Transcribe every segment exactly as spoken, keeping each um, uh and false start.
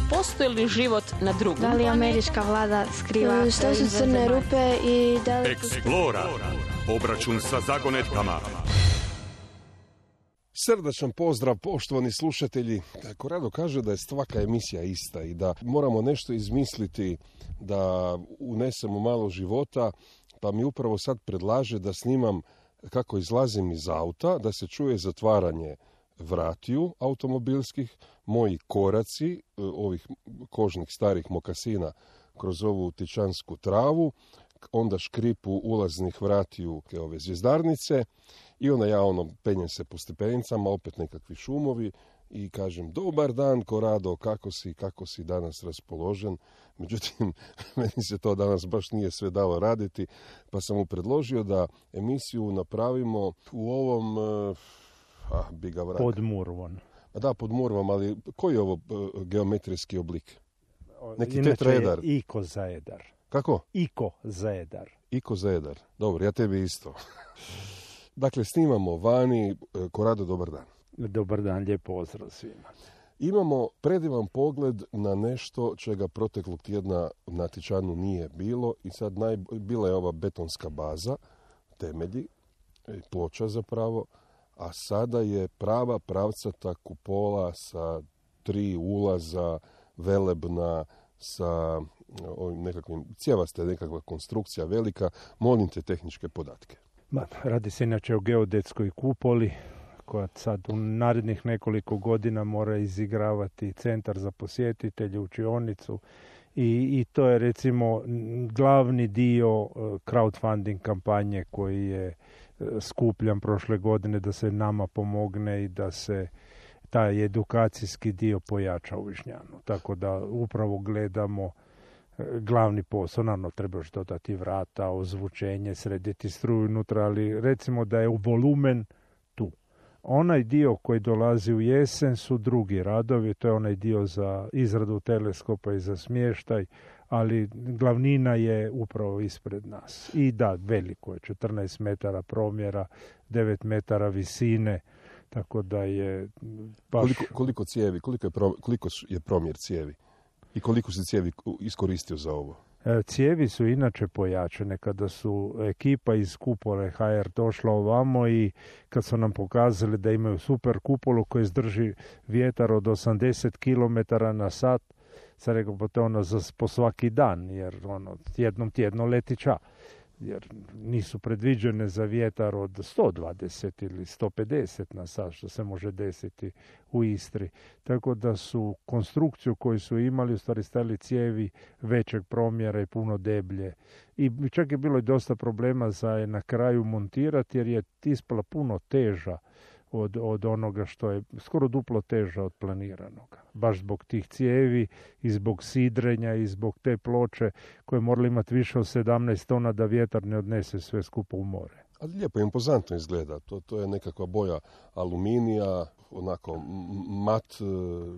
postoji li život na drugom Da li američka vlada skriva šta su crne rupe i da li... Explora. Obračun sa zagonetkama. Srdačan pozdrav, poštovani slušatelji. Korado kaže da je svaka emisija ista i da moramo nešto izmisliti da unesemo malo života, pa mi upravo sad predlaže da snimam kako izlazim iz auta, da se čuje zatvaranje vratiju automobilskih, moji koraci, ovih kožnih starih mokasina kroz ovu tičansku travu, onda škripu ulaznih vratiju ove zvjezdarnice i onda ja ono penjem se po stepenicama, opet nekakvi šumovi i kažem dobar dan Korado, kako si, kako si danas raspoložen. Međutim, meni se to danas baš nije sve dalo raditi, pa sam mu predložio da emisiju napravimo u ovom, ah, bi ga vrak. Pod Murvom. Da, pod Murvom, ali koji je ovo uh, geometrijski oblik? Neki Inače tetraedar. je ikozaedar. Kako? Ikozaedar. Ikozaedar. Dobro, ja tebi isto. Dakle, snimamo vani. Korado, dobar dan. Dobar dan, lijep pozdrav svima. Imamo predivan pogled na nešto čega proteklog tjedna na Tičanu nije bilo i sad naj... bila je ova betonska baza, temelji, ploča zapravo, a sada je prava pravcata kupola sa tri ulaza, velebna, sa ovim nekakvim, cijevaste nekakva konstrukcija velika. Molim te tehničke podatke. Ma, radi se inače o geodetskoj kupoli koja sad u narednih nekoliko godina mora izigravati centar za posjetitelje, učionicu i, i to je recimo glavni dio crowdfunding kampanje koji je skupljan prošle godine da se nama pomogne i da se taj edukacijski dio pojača u Višnjanu. Tako da upravo gledamo glavni posao, naravno treba još dodati vrata, ozvučenje, srediti struju unutra, ali recimo da je u volumen tu. Onaj dio koji dolazi u jesen su drugi radovi, to je onaj dio za izradu teleskopa i za smještaj, ali glavnina je upravo ispred nas. I da, veliko je, četrnaest metara promjera, devet metara visine, tako da je baš... Koliko, koliko cijevi, koliko je, pro, koliko je promjer cijevi? I koliko se cijevi iskoristio za ovo? Cijevi su inače pojačane. Kada su ekipa iz kupole ha er došla ovamo i kad su nam pokazali da imaju super kupolu koja izdrži vjetar od osamdeset kilometara na sat, sam rekao pa to je ono za, po svaki dan, jer ono, jednom tjedno leti ča. Jer nisu predviđene za vjetar od sto dvadeset ili sto pedeset na sat, što se može desiti u Istri. Tako da su konstrukciju koju su imali u stvari stavili cijevi većeg promjera i puno deblje. I čak je bilo i dosta problema za je na kraju montirati jer je ispala puno teža od, od onoga što je skoro duplo teža od planiranog. Baš zbog tih cijevi i zbog sidrenja i zbog te ploče koje morali imati više od sedamnaest tona da vjetar ne odnese sve skupo u more. Ali lijepo, impozantno izgleda. To, to je nekakva boja aluminija, onako mat,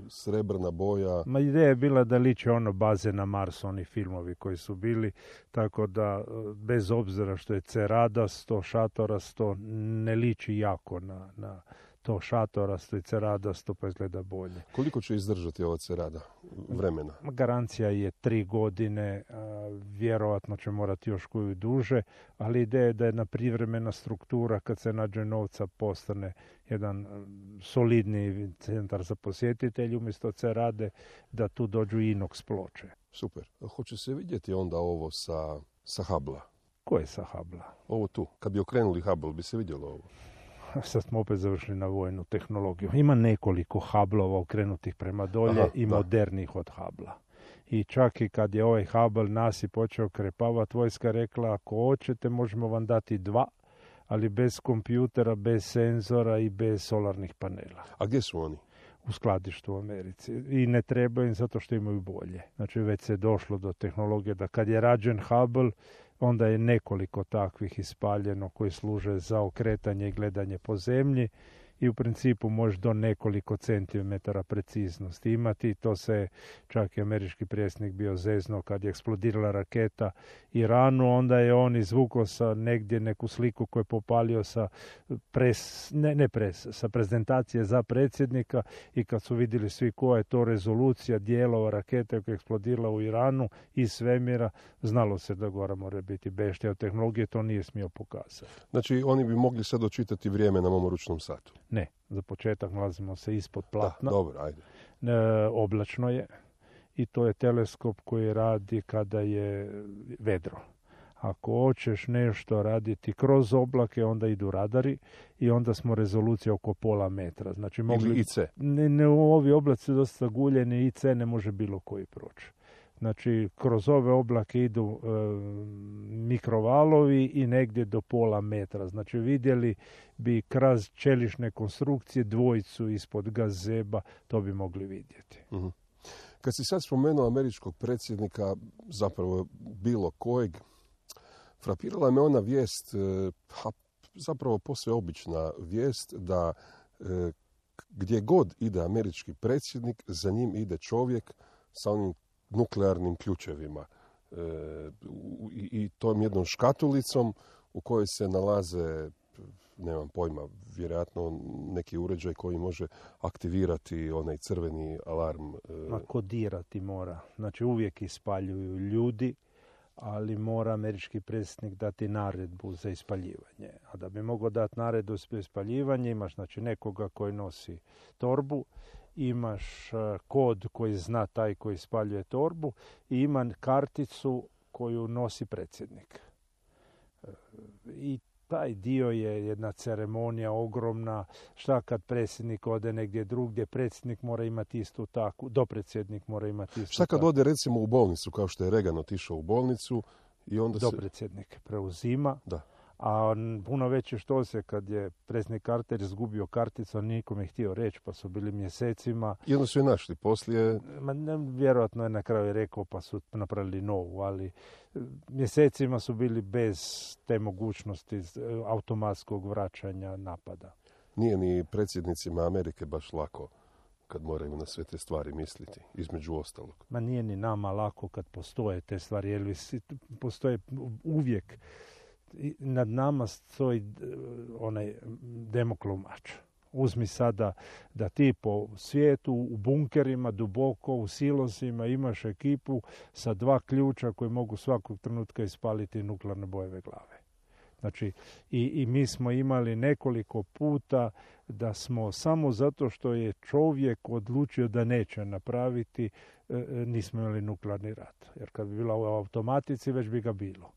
srebrna boja. Ma ideja je bila da liče ono baze na Marsu, oni filmovi koji su bili, tako da bez obzira što je ceradasto, šatorasto, ne liči jako na, na to šatorasto i ceradasto, pa izgleda bolje. Koliko će izdržati ova cerada vremena? Garancija je tri godine, a, vjerovatno će morati još koju duže, ali ideja je da jedna privremena struktura kad se nađe novca postane jedan solidni centar za posjetitelje umjesto cerade, da tu dođu inox ploče. Super. Hoće se vidjeti onda ovo sa, sa Hubble-a? Ko je sa Hubble-a? Ovo tu. Kad bi okrenuli Hubble, bi se vidjelo ovo? Sad smo opet završili na vojnu tehnologiju. Ima nekoliko Hubble-ova okrenutih prema dolje. Aha, i da. Modernih od Hubble-a. I čak i kad je ovaj Hubble nasip počeo krepavati, vojska rekla ako hoćete možemo vam dati dva, ali bez kompjutera, bez senzora i bez solarnih panela. A gdje su oni? U skladištu u Americi. I ne trebaju im zato što imaju bolje. Znači već se došlo do tehnologije da kad je rađen Hubble, onda je nekoliko takvih ispaljeno koji služe za okretanje i gledanje po zemlji i u principu možeš do nekoliko centimetara preciznosti imati. To se čak i američki predsjednik bio zezno kad je eksplodirala raketa Iranu, onda je on izvukao sa negdje neku sliku koju je popalio sa pres, ne, ne pres, sa prezentacije za predsjednika i kad su vidjeli svi koja je to rezolucija dijelova rakete koja je eksplodirala u Iranu iz svemira, znalo se da gore mora biti beštija od tehnologije, to nije smio pokazati. Znači, oni bi mogli sad očitati vrijeme na mom ručnom satu? Ne, za početak nalazimo se ispod platna. Da, dobro, ajde. E, oblačno je i to je teleskop koji radi kada je vedro. Ako hoćeš nešto raditi kroz oblake, onda idu radari i onda smo rezolucija oko pola metra. Znači, mogli, ili I C. Ne, ne, ovi oblaci su dosta guljeni, I C ne može bilo koji proći. Znači, kroz ove oblake idu e, mikrovalovi i negdje do pola metra. Znači, vidjeli bi kroz čelične konstrukcije dvojicu ispod gazeba, to bi mogli vidjeti. Uh-huh. Kad si sad spomenuo američkog predsjednika, zapravo bilo kojeg, frapirala me ona vijest, ha, zapravo posve obična vijest, da e, gdje god ide američki predsjednik, za njim ide čovjek sa onim nuklearnim ključevima e, i, i tom jednom škatulicom u kojoj se nalaze, nemam pojma, vjerojatno neki uređaj koji može aktivirati onaj crveni alarm. E. A kodirati mora. Znači, uvijek ispaljuju ljudi, ali mora američki predsjednik dati naredbu za ispaljivanje. A da bi mogao dati naredbu za ispaljivanje, imaš znači nekoga koji nosi torbu, imaš kod koji zna taj koji ispaljuje torbu i ima karticu koju nosi predsjednik. I taj dio je jedna ceremonija ogromna. Šta kad predsjednik ode negdje drugdje, predsjednik mora imati istu takvu, dopredsjednik mora imati istu Šta kad takvu. ode recimo u bolnicu, kao što je Reagan otišao u bolnicu i onda se... Dopredsjednik preuzima. Da. A puno veće što se kad je predsjednik Carter izgubio karticu, nikom je htio reći, pa su bili mjesecima. I onda su je našli poslije. Ma, ne, vjerojatno je na kraju rekao pa su napravili novu, ali mjesecima su bili bez te mogućnosti automatskog vraćanja napada. Nije ni predsjednicima Amerike baš lako kad moraju na sve te stvari misliti, između ostalog. Ma nije ni nama lako kad postoje te stvari, jer postoje uvijek. Nad nama stoji onaj Damoklov mač. Uzmi sada da ti po svijetu u bunkerima duboko u silosima imaš ekipu sa dva ključa koji mogu svakog trenutka ispaliti nuklearne bojeve glave. Znači, i, i mi smo imali nekoliko puta da smo samo zato što je čovjek odlučio da neće napraviti, nismo imali nuklearni rat. Jer kad bi bila u automatici, već bi ga bilo.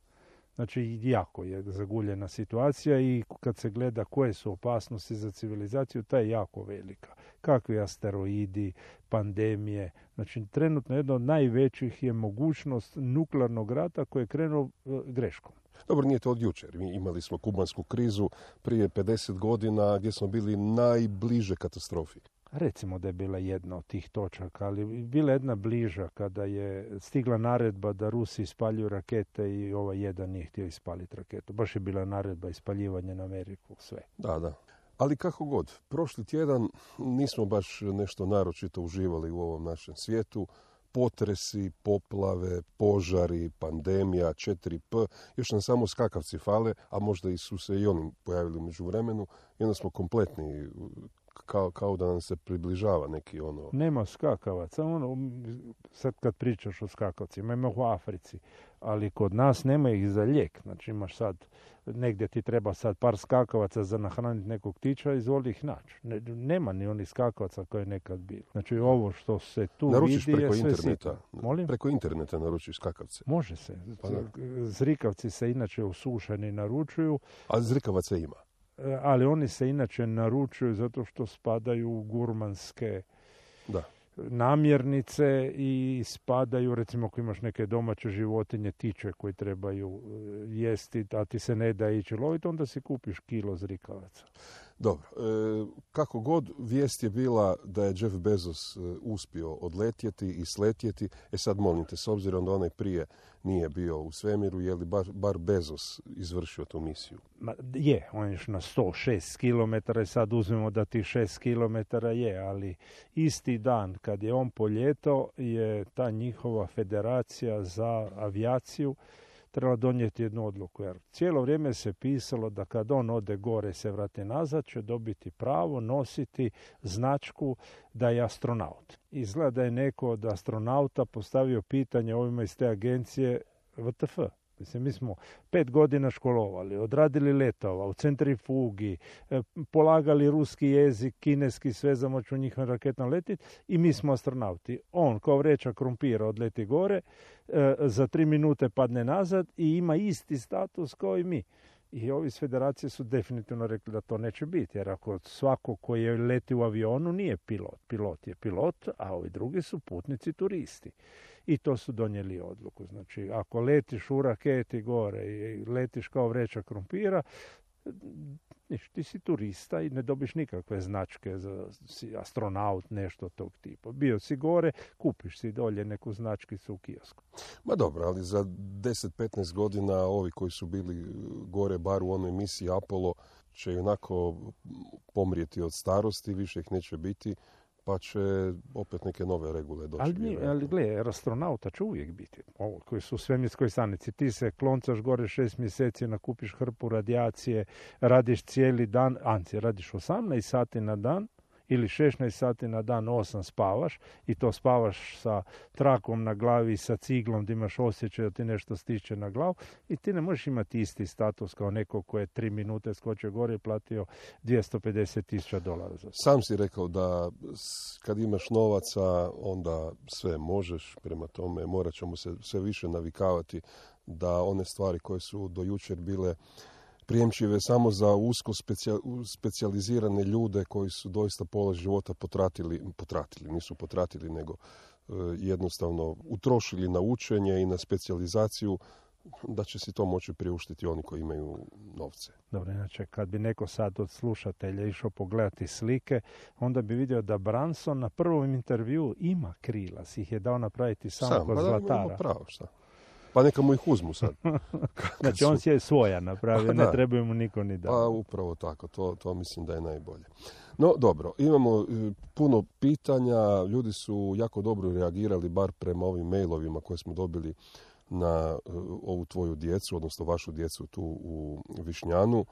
Znači, jako je zaguljena situacija i kad se gleda koje su opasnosti za civilizaciju, ta je jako velika. Kakvi asteroidi, pandemije. Znači, trenutno jedna od najvećih je mogućnost nuklearnog rata koji je krenuo greškom. Dobro, nije to od jučer. Mi imali smo kubansku krizu prije pedeset godina gdje smo bili najbliže katastrofi. Recimo da je bila jedna od tih točaka, ali bila jedna bliža kada je stigla naredba da Rusi ispaljuju rakete i ovaj jedan nije htio ispaliti raketu. Baš je bila naredba ispaljivanja na Ameriku, sve. Da, da. Ali kako god, prošli tjedan nismo baš nešto naročito uživali u ovom našem svijetu. Potresi, poplave, požari, pandemija, četiri P, još nam samo skakavci fale, a možda i su se i oni pojavili u međuvremenu i onda smo kompletni, kao, kao da nam se približava neki ono... Nema skakavaca, ono, sad kad pričaš o skakavcima, ima u Africi, ali kod nas nema ih za lijek, znači imaš sad, negdje ti treba sad par skakavaca za nahraniti nekog ptića, izvoli ih naći. Ne, nema ni onih skakavaca koje je nekad bilo. Znači ovo što se tu naručiš vidi preko je sve interneta. sitno. Molim? Preko interneta naručiš skakavce. Može se. Pa Zrikavci se inače usušeni naručuju. A zrikavaca ima? Ali oni se inače naručuju zato što spadaju u gurmanske da. namirnice i spadaju, recimo ako imaš neke domaće životinje, tiče koji trebaju jesti, a ti se ne da ići loviti, onda si kupiš kilo zrikavaca. Dobro, e, kako god vijest je bila da je Jeff Bezos e, uspio odletjeti i sletjeti, e sad molim te, s obzirom da onaj prije nije bio u svemiru, je li bar, bar Bezos izvršio tu misiju? Ma, je, on je na sto šest kilometara i sad uzmemo da tih šest kilometara je, ali isti dan kad je on poljetao je ta njihova federacija za avijaciju treba donijeti jednu odluku, jer cijelo vrijeme se pisalo da kad on ode gore se vrati nazad, će dobiti pravo nositi značku da je astronaut. Izgleda da je neko od astronauta postavio pitanje ovima iz te agencije V T F. Mislim, mi smo pet godina školovali, odradili letova u centrifugi, polagali ruski jezik, kineski, sve za moću njihovim raketama letiti i mi smo astronauti. On kao vreća krumpira odleti gore, za tri minute padne nazad i ima isti status kao i mi. I ovi iz federacije su definitivno rekli da to neće biti, jer ako svako koji je leti u avionu nije pilot, pilot je pilot, a ovi drugi su putnici turisti. I to su donijeli odluku. Znači, ako letiš u raketi gore i letiš kao vreća krumpira, niš, ti si turista i ne dobiš nikakve značke za si astronaut, nešto tog tipa. Bio si gore, kupiš si dolje neku značkicu u kiosku. Ma dobro, ali za deset do petnaest godina ovi koji su bili gore bar u onoj misiji Apollo će onako pomrijeti od starosti, više ih neće biti, pa će opet neke nove regule doći. Ali, ali gledaj, astronauta će uvijek biti. Ovo, koji su u svemirskoj stanici. Ti se kloncaš gore šest mjeseci, nakupiš hrpu radijacije, radiš cijeli dan, anci, radiš osamnaest sati na dan, ili šesnaest sati na dan, osam spavaš i to spavaš sa trakom na glavi, sa ciglom da imaš osjećaj da ti nešto stiče na glavu i ti ne možeš imati isti status kao neko ko je tri minute skočio gore i platio dvjesto pedeset tisuća dolara za to. Sam si rekao da kad imaš novaca onda sve možeš, prema tome morat ćemo se sve više navikavati da one stvari koje su do jučer bile prijemčive samo za usko specijalizirane ljude koji su doista pola života potratili, potratili, nisu potratili, nego e, jednostavno utrošili na učenje i na specijalizaciju, da će si to moći priuštiti oni koji imaju novce. Dobro, inače, kad bi neko sad od slušatelja išao pogledati slike, onda bi vidio da Branson na prvom intervju ima krila, si ih je dao napraviti samo Sam, kod pa zlatara. Da, pravo, šta? Pa neka mu ih uzmu sad. Znači on si je svoja napravio, ne trebaju mu niko ni dati. Pa upravo tako, to, to mislim da je najbolje. No dobro, imamo e, puno pitanja, ljudi su jako dobro reagirali, bar prema ovim mailovima koje smo dobili na uh, ovu tvoju djecu, odnosno vašu djecu tu u Višnjanu.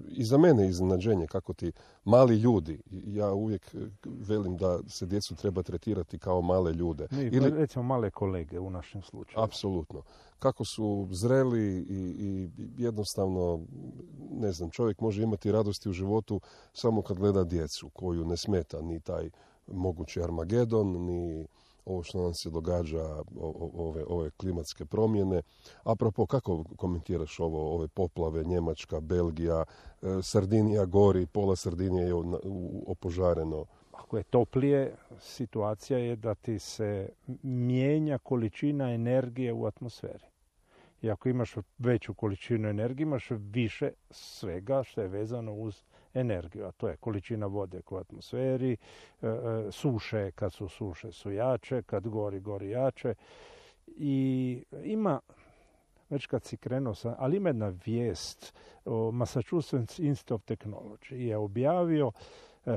I za mene iznenađenje kako ti mali ljudi, ja uvijek velim da se djecu treba tretirati kao male ljude. Mi, Ili, recimo male kolege u našem slučaju. apsolutno. Kako su zreli i, i jednostavno, ne znam, čovjek može imati radosti u životu samo kad gleda djecu koju ne smeta ni taj mogući Armagedon, ni ovo što nam se događa, ove, ove klimatske promjene. Apropo, kako komentiraš ovo, ove poplave, Njemačka, Belgija, Sardinija gori, pola Sardinije je opožareno. Ako je toplije, situacija je da ti se mijenja količina energije u atmosferi. I ako imaš veću količinu energije, imaš više svega što je vezano uz energiju, a to je količina vode u atmosferi, e, e, suše, kad su suše su jače, kad gori, gori jače. I ima, već kad si krenuo sam, ali ima jedna vijest, o Massachusetts Institute of Technology je objavio e,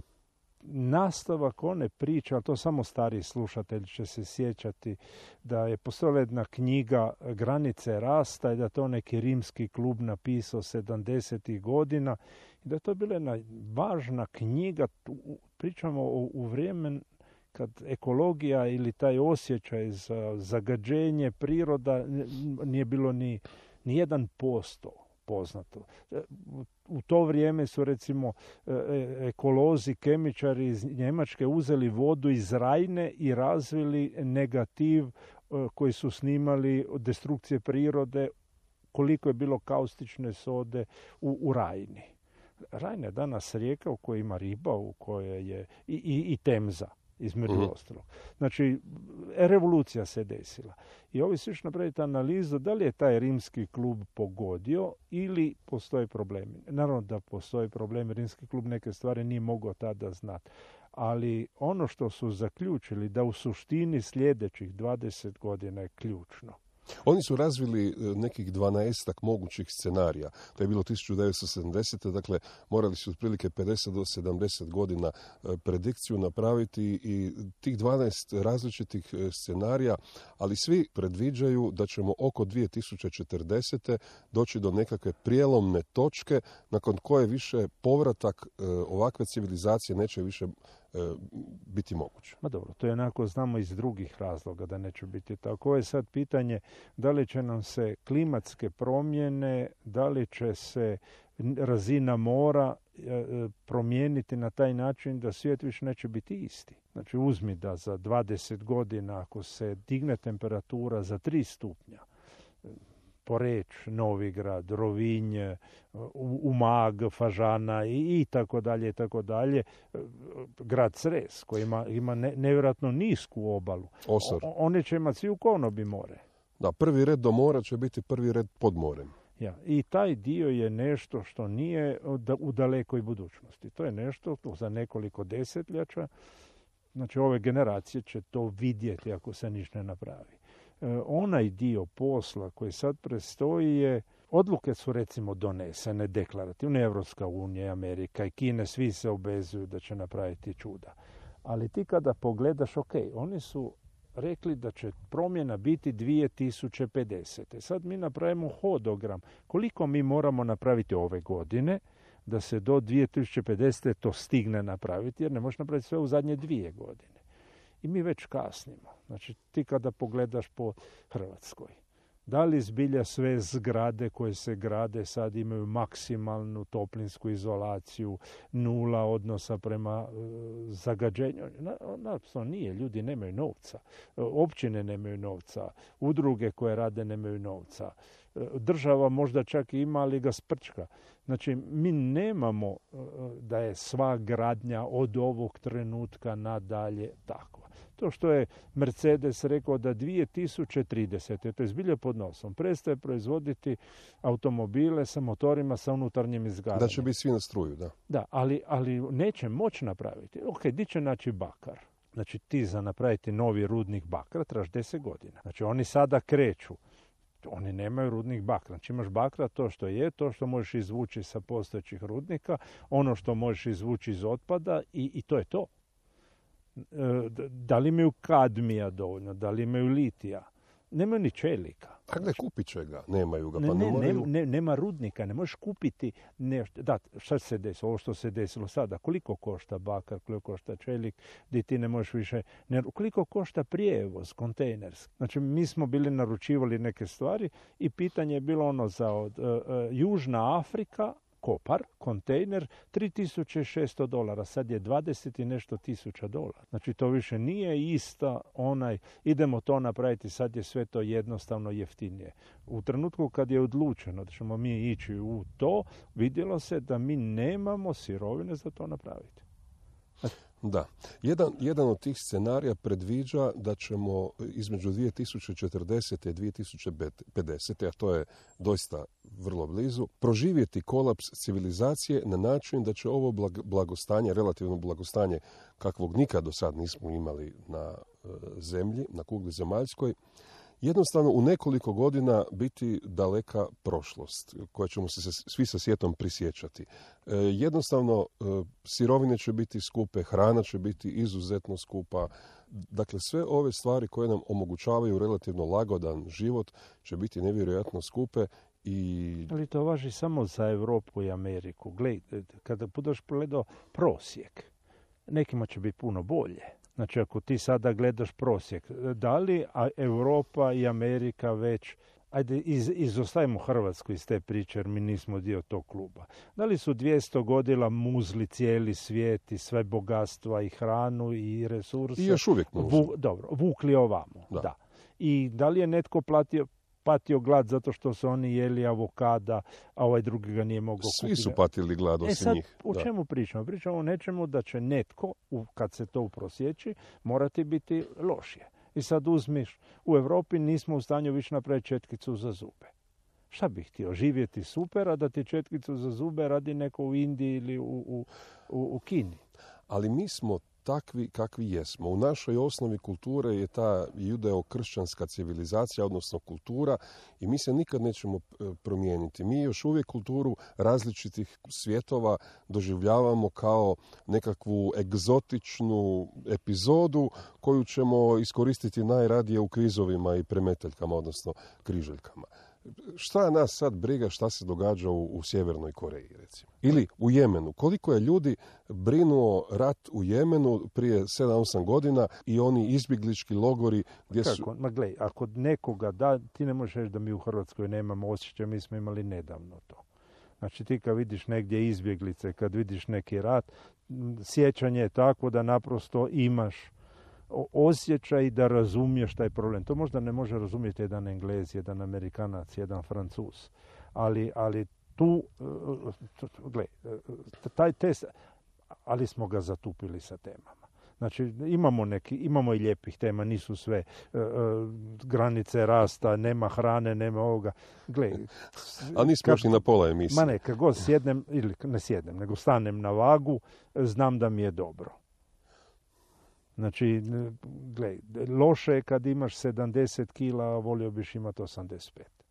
nastavak one priče, ali to samo stari slušatelji će se sjećati, da je postojala jedna knjiga Granice rasta i da to neki rimski klub napisao sedamdesetih godina i da je to bila jedna važna knjiga, pričamo u, u vrijeme kad ekologija ili taj osjećaj za zagađenje priroda nije bilo ni, ni jedan posto poznato. U to vrijeme su recimo ekolozi, kemičari iz Njemačke uzeli vodu iz Rajne i razvili negativ koji su snimali od destrukcije prirode, koliko je bilo kaustične sode u, u Rajni. Rajna je danas rijeka u kojoj ima riba, u kojoj je i, i, i Temza, između mm-hmm. ostalog. Znači, revolucija se desila. I ovi su još napraviti analizu da li je taj rimski klub pogodio ili postoje problemi. Naravno da postoje problemi, rimski klub neke stvari nije mogao tada znati. Ali ono što su zaključili da u suštini sljedećih dvadeset godina je ključno. Oni su razvili nekih dvanaestak mogućih scenarija. To je bilo tisuću devetsto sedamdesete. Dakle, morali su otprilike pedeset do sedamdeset godina predikciju napraviti i tih dvanaest različitih scenarija, ali svi predviđaju da ćemo oko dvije tisuće četrdesete doći do nekakve prijelomne točke nakon koje više povratak ovakve civilizacije neće više biti moguće. Ma dobro, to je onako znamo iz drugih razloga da neće biti tako. Ovo je sad pitanje da li će nam se klimatske promjene, da li će se razina mora promijeniti na taj način da svijet više neće biti isti. Znači uzmi da za dvadeset godina ako se digne temperatura za tri stupnja, Poreč, Novigrad, Rovinj, Umag, Fažana i, i tako dalje, i tako dalje. Grad Cres koji ima, ima ne, nevjerojatno nisku obalu. Osor. O, one će imati svi u Konobi more. Da, prvi red do mora će biti prvi red pod morem. Ja, i taj dio je nešto što nije u dalekoj budućnosti. To je nešto to za nekoliko desetljeća. Znači ove generacije će to vidjeti ako se ništa ne napravi. Onaj dio posla koji sad prestoji je, odluke su recimo donesene deklarativno, Evropska unija, Amerika i Kine, svi se obvezuju da će napraviti čuda. Ali ti kada pogledaš, ok, oni su rekli da će promjena biti dvije tisuće pedesete. Sad mi napravimo hodogram. Koliko mi moramo napraviti ove godine da se do dvije tisuće pedesete to stigne napraviti, jer ne možeš napraviti sve u zadnje dvije godine. I mi već kasnimo. Znači, ti kada pogledaš po Hrvatskoj, da li zbilja sve zgrade koje se grade sad imaju maksimalnu toplinsku izolaciju, nula odnosa prema uh, zagađenju? Naravno nije, ljudi nemaju novca. Općine nemaju novca, udruge koje rade nemaju novca. Država možda čak i ima, ali ga sprčka. Znači, mi nemamo uh, da je sva gradnja od ovog trenutka nadalje tako. To što je Mercedes rekao da dvije tisuće tridesete. to je zbilja pod nosom, prestaje proizvoditi automobile sa motorima sa unutarnjim izgaranjem. Da će biti svi na struju, da. Da, ali, ali neće moći napraviti. Ok, di će naći bakar? Znači ti za napraviti novi rudnik bakra trebaš deset godina. Znači oni sada kreću. Oni nemaju rudnik bakra. Znači imaš bakra to što je, to što možeš izvući sa postojećih rudnika, ono što možeš izvući iz otpada i, i to je to. Da li imaju kadmija dovoljno, da li imaju litija, nemaju ni čelika. A gdje kupit će ga? Nemaju ga, pa ne, ne, ne, moraju... ne, nema rudnika, ne možeš kupiti nešto. Da, šta se desilo, ovo što se desilo sada, koliko košta bakar, koliko košta čelik, gdje ti ne možeš više, ne, koliko košta prijevoz, kontejnerski. Znači, mi smo bili naručivali neke stvari i pitanje je bilo ono za od, uh, uh, Južna Afrika, Kopar, kontejner, tri tisuće šesto dolara, sad je dvadeset i nešto tisuća dolara. Znači to više nije ista onaj, idemo to napraviti, sad je sve to jednostavno jeftinije. U trenutku kad je odlučeno da ćemo mi ići u to, vidjelo se da mi nemamo sirovine za to napraviti. Da. Jedan, jedan od tih scenarija predviđa da ćemo između dvije tisuće četrdesete i dvije tisuće pedesete, a to je doista vrlo blizu, proživjeti kolaps civilizacije na način da će ovo blagostanje, relativno blagostanje kakvog nikad do sad nismo imali na e, zemlji, na kugli zemaljskoj, jednostavno u nekoliko godina biti daleka prošlost koja ćemo se svi sa sjetom prisjećati. E, jednostavno e, sirovine će biti skupe, hrana će biti izuzetno skupa. Dakle, sve ove stvari koje nam omogućavaju relativno lagodan život će biti nevjerojatno skupe. I... Ali to važi samo za Europu i Ameriku. Gled, kada budeš pogledao prosjek, nekima će biti puno bolje. Znači, ako ti sada gledaš prosjek, da li a Europa i Amerika već, ajde, iz, izostavimo Hrvatsku iz te priče, jer mi nismo dio tog kluba. Da li su dvjesto godina muzli cijeli svijet i sve bogatstva i hranu i resurse? I još uvijek muzli. Vu, dobro, vukli ovamo, da. da. I da li je netko platio, patio glad zato što su oni jeli avokada, a ovaj drugi ga nije mogao kupiti? Svi su patili glad osim e sad, njih. O čemu pričamo? Pričamo o nečemu da će netko, kad se to uprosjeći, morati biti lošije. I sad uzmiš, u Europi nismo u stanju više napraviti četkicu za zube. Šta bih htio? Živjeti super, a da ti četkicu za zube radi neko u Indiji ili u, u, u, u Kini. Ali mi smo takvi kakvi jesmo. U našoj osnovi kulture je ta judeo-kršćanska civilizacija, odnosno kultura, i mi se nikad nećemo promijeniti. Mi još uvijek kulturu različitih svjetova doživljavamo kao nekakvu egzotičnu epizodu koju ćemo iskoristiti najradije u kvizovima i premetaljkama, odnosno križaljkama. Šta nas sad briga šta se događa u, u Sjevernoj Koreji, recimo? Ili u Jemenu. Koliko je ljudi brinuo rat u Jemenu prije sedam osam godina i oni izbjeglički logori gdje su... Kako? Ma glej, ako nekoga da, ti ne možeš reći da mi u Hrvatskoj nemamo osjećaj, mi smo imali nedavno to. Znači ti kad vidiš negdje izbjeglice, kad vidiš neki rat, sjećanje je tako da naprosto imaš osjećaj da razumiješ taj problem. To možda ne može razumjeti jedan Englez, jedan Amerikanac, jedan Francuz. Ali, ali tu, gle, taj test, ali smo ga zatupili sa temama. Znači, imamo neki, imamo i lijepih tema, nisu sve uh, granice rasta, nema hrane, nema ovoga. Gle, a nismo još i na pola emisije. Ma ne, kad god sjednem, ili ne sjednem, nego stanem na vagu, znam da mi je dobro. Znači, gle, loše je kad imaš sedamdeset kila, a volio biš imati osamdeset pet.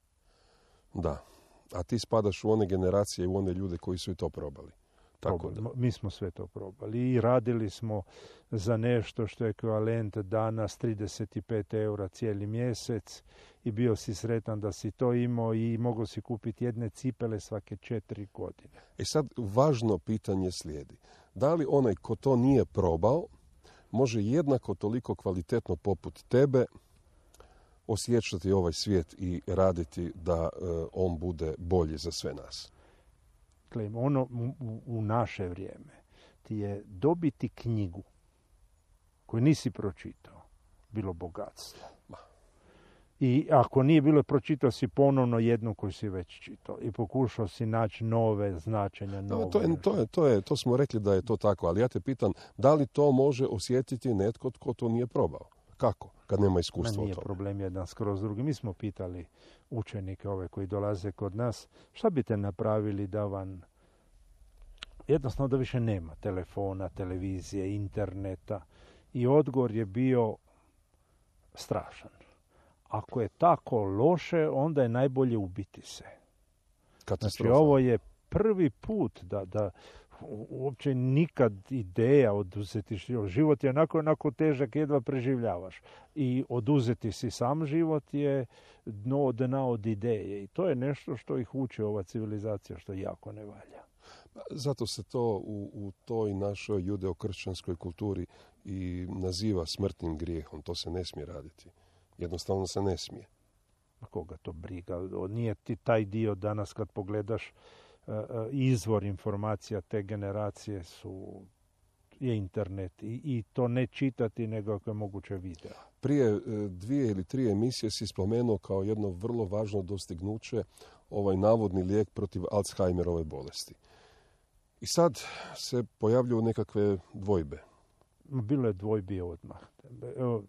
Da, a ti spadaš u one generacije, u one ljude koji su i to probali. Tako da. Mi smo sve to probali i radili smo za nešto što je ekvivalent danas trideset pet eura cijeli mjesec i bio si sretan da si to imao i mogao si kupiti jedne cipele svake četiri godine. E sad, važno pitanje slijedi. Da li onaj ko to nije probao može jednako toliko kvalitetno poput tebe osjećati ovaj svijet i raditi da uh, on bude bolji za sve nas? Ono u, u naše vrijeme ti je dobiti knjigu koju nisi pročitao bilo bogatstvo. I ako nije bilo pročitao si ponovno jednu koju si već čitao i pokušao si naći nove značenja. No, to, je, to, je, to, je, to smo rekli da je to tako, ali ja te pitam da li to može osjetiti netko tko to nije probao? Kako? Kad nema iskustva o nije tome. Problem jedan skroz drugi. Mi smo pitali učenike ove koji dolaze kod nas, šta biste napravili da vam jednostavno da više nema telefona, televizije, interneta, i odgovor je bio strašan. Ako je tako loše, onda je najbolje ubiti se. Znači, ovo je prvi put da, da uopće nikad ideja oduzeti život. Život je onako, onako težak, jedva preživljavaš. I oduzeti si sam život je dno dna od ideje. I to je nešto što ih uči ova civilizacija, što jako ne valja. Zato se to u, u toj našoj judeo-kršćanskoj kulturi i naziva smrtnim grijehom. To se ne smije raditi. Jednostavno se ne smije. A koga to briga? Nije ti taj dio danas kad pogledaš uh, izvor informacija te generacije su je internet i, i to ne čitati nego ako je moguće video. Prije dvije ili tri emisije si spomenuo kao jedno vrlo važno dostignuće ovaj navodni lijek protiv Alzheimerove bolesti. I sad se pojavljuju nekakve dvojbe. Bilo je dvojbi odmah. Evo,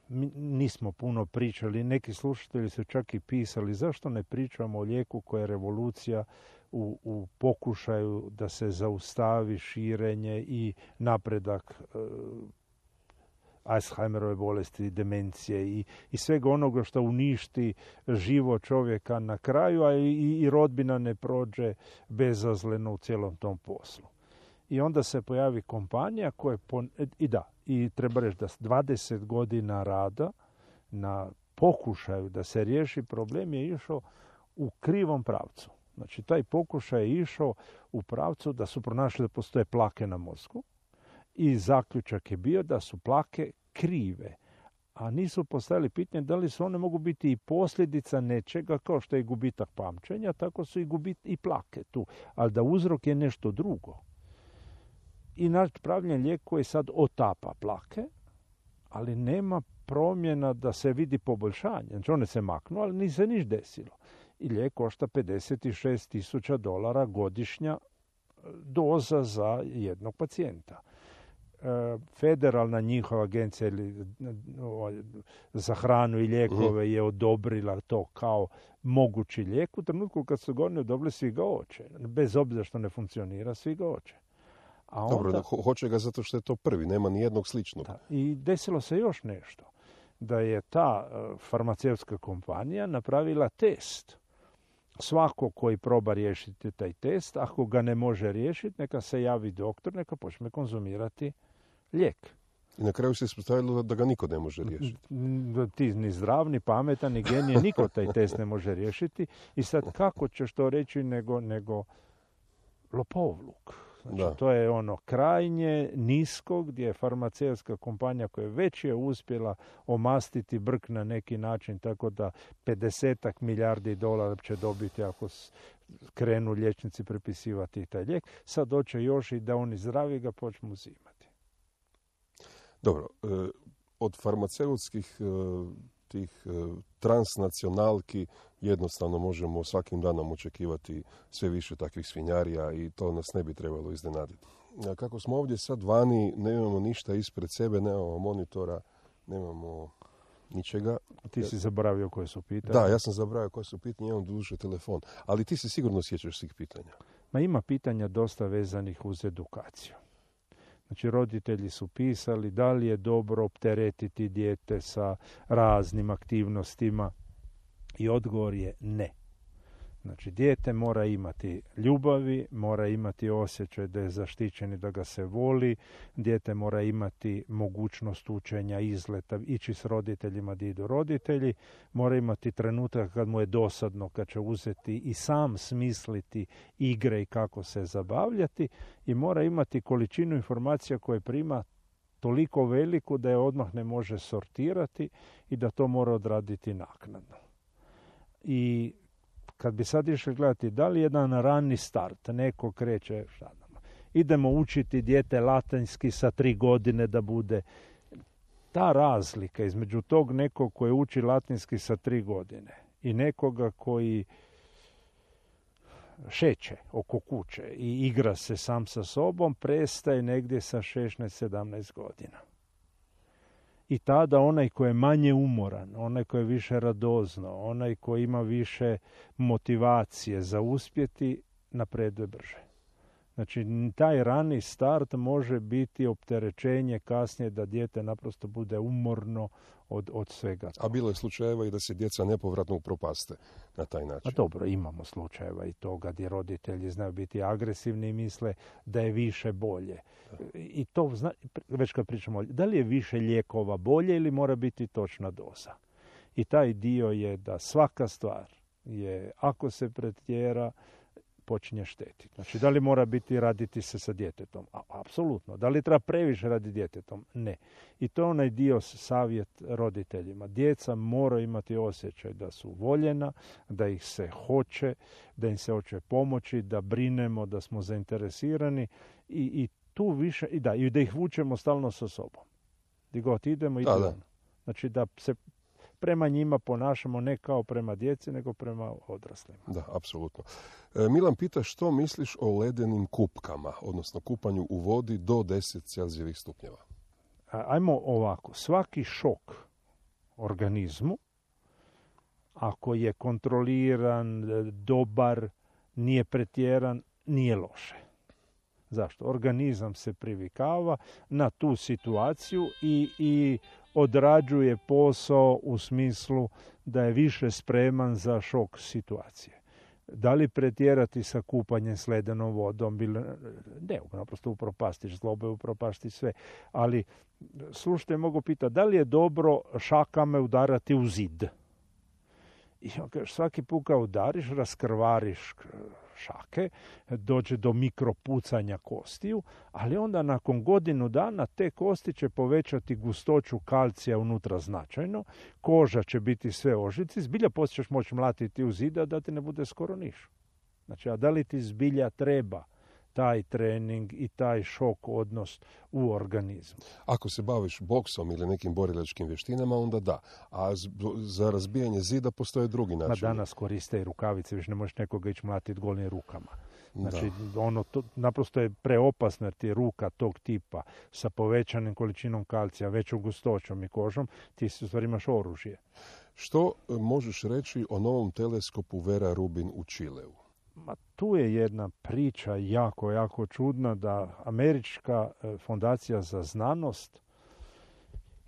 mi nismo puno pričali, neki slušatelji su čak i pisali zašto ne pričamo o lijeku koja je revolucija u, u pokušaju da se zaustavi širenje i napredak e, Alzheimerove bolesti, demencije i, i svega onoga što uništi život čovjeka na kraju, a i, i rodbina ne prođe bezazleno u cijelom tom poslu. I onda se pojavi kompanija koja pon... i da, i treba reći da dvadeset godina rada na pokušaju da se riješi problem je išao u krivom pravcu. Znači, taj pokušaj je išao u pravcu da su pronašli da postoje plake na mozgu i zaključak je bio da su plake krive, a nisu postavili pitanje da li su one mogu biti i posljedica nečega kao što je gubitak pamćenja, tako su i gubit i plake tu, ali da uzrok je nešto drugo. I napravljen lijek koji sad otapa plake, ali nema promjena da se vidi poboljšanje. Znači, one se maknu, ali nije se niš desilo. I lijek košta pedeset šest tisuća dolara godišnja doza za jednog pacijenta. federalna njihova agencija ili, o, za hranu i lijekove je odobrila to kao mogući lijek. U trenutku kad su ga oni odobrili, svi ga hoće. Bez obzira što ne funkcionira, svi ga hoće. A onda, Dobro, ho- hoće ga zato što je to prvi, nema ni jednog sličnog. Da, i desilo se još nešto. Da je ta uh, farmaceutska kompanija napravila test. Svako koji proba riješiti taj test, ako ga ne može riješiti, neka se javi doktor, neka počne konzumirati lijek. I na kraju se ispostavilo da ga niko ne može riješiti. Ti ni zdrav, ni pametan, ni genije, niko taj test ne može riješiti. I sad kako ćeš to reći nego, nego lopovluk? Znači, Da. to je ono krajnje nisko gdje je farmaceutska kompanija koja već je uspjela omastiti brk na neki način, tako da pedesetak milijardi dolara će dobiti ako s- krenu liječnici prepisivati taj lijek. Sad doće još i da oni zdravi ga počnu uzimati. Dobro, e, od farmaceutskih e, tih e, transnacionalki jednostavno možemo svakim danom očekivati sve više takvih svinjarija i to nas ne bi trebalo iznenaditi. A kako smo ovdje sad vani, nemamo ništa ispred sebe, nemamo monitora, nemamo ničega. Ti si zaboravio koje su pitanje. Da, ja sam zaboravio koje su pitanje, imam duže telefon, ali ti se sigurno sjećaš svih pitanja. Ma ima pitanja dosta vezanih uz edukaciju. Znači, roditelji su pisali da li je dobro opteretiti dijete sa raznim aktivnostima i odgovor je ne. Znači, dijete mora imati ljubavi, mora imati osjećaj da je zaštićen i da ga se voli, dijete mora imati mogućnost učenja, izleta, ići s roditeljima gdje idu roditelji, mora imati trenutak kad mu je dosadno, kad će uzeti i sam smisliti igre i kako se zabavljati i mora imati količinu informacija koje prima toliko veliku da je odmah ne može sortirati i da to mora odraditi naknadno. I kad bi sad išli gledati da li jedan rani start, neko kreće, šta znam, idemo učiti dijete latinski sa tri godine da bude, ta razlika između tog nekog koji uči latinski sa tri godine i nekoga koji šeće oko kuće i igra se sam sa sobom, prestaje negdje sa šesnaest sedamnaest godina. I tada onaj koji je manje umoran, onaj koji je više radozno, onaj koji ima više motivacije za uspjeti, napreduje brže. Znači, taj rani start može biti opterećenje kasnije da dijete naprosto bude umorno od, od svega. A bilo je slučajeva i da se djeca nepovratno upropaste na taj način. A dobro, imamo slučajeva i toga gdje roditelji znaju biti agresivni i misle da je više bolje. I to, zna, već kad pričamo, da li je više lijekova bolje ili mora biti točna doza? I taj dio je da svaka stvar je, ako se pretjera, počinje štetiti. Znači, da li mora biti raditi se sa djetetom? A, apsolutno. Da li treba previše raditi djetetom? Ne. I to je onaj dio savjet roditeljima. Djeca moraju imati osjećaj da su voljena, da ih se hoće, da im se hoće pomoći, da brinemo, da smo zainteresirani i, i tu više, i da, i da ih vučemo stalno sa sobom. Gdje god idemo, idemo. Da, da. Znači, da se prema njima ponašamo ne kao prema djeci, nego prema odraslima. Da, apsolutno. E, Milan pita što misliš o ledenim kupkama, odnosno kupanju u vodi do deset Celzijevih stupnjeva. A, ajmo ovako. Svaki šok organizmu, ako je kontroliran, dobar, nije pretjeran, nije loše. Zašto? Organizam se privikava na tu situaciju i, i odrađuje posao u smislu da je više spreman za šok situacije. Da li pretjerati sa kupanjem s ledenom vodom? Ne, naprosto upropastiš zlobe, upropastiš sve. Ali, slušajte, mogu pitati, da li je dobro šakame udarati u zid? I on kaže, svaki put kad udariš, raskrvariš šake, dođe do mikropucanja kostiju, ali onda nakon godinu dana te kosti će povećati gustoću kalcija unutra značajno, koža će biti sve ožici, zbilja poslije ćeš moći mlatiti u zida da ti ne bude skoro niš. Znači, a da li ti zbilja treba taj trening i taj šok odnos u organizmu? Ako se baviš boksom ili nekim borilačkim vještinama, onda da. A za razbijanje zida postoje drugi način. Ma danas koriste i rukavice, više ne možeš nekoga ići mlatiti golim rukama. Znači, ono, to, naprosto je preopasno jer ti ruka tog tipa sa povećanim količinom kalcija, većom gustoćom i kožom, ti u stvari imaš oružje. Što možeš reći o novom teleskopu Vera Rubin u Čileu? Ma, tu je jedna priča jako, jako čudna da Američka fondacija za znanost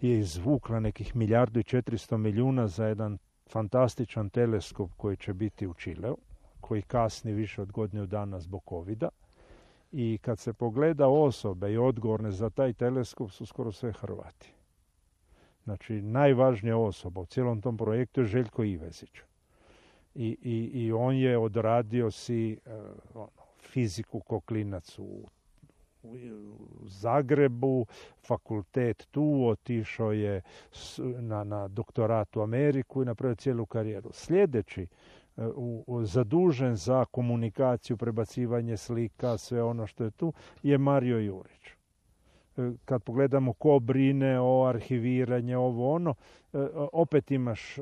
je izvukla nekih milijardu i četiristo milijuna za jedan fantastičan teleskop koji će biti u Čileu, koji kasni više od godinu dana zbog covida. I kad se pogleda osobe i odgovorne za taj teleskop su skoro sve Hrvati. Znači, najvažnija osoba u cijelom tom projektu je Željko Ivezić. I, i, i on je odradio si uh, ono, fiziku ko klinac u, u Zagrebu, fakultet tu, otišao je na, na doktorat u Ameriku i napravio cijelu karijeru. Sljedeći U, u, zadužen za komunikaciju, prebacivanje slika, sve ono što je tu, je Mario Jurić. Kad pogledamo ko brine o arhiviranju, ovo ono, opet imaš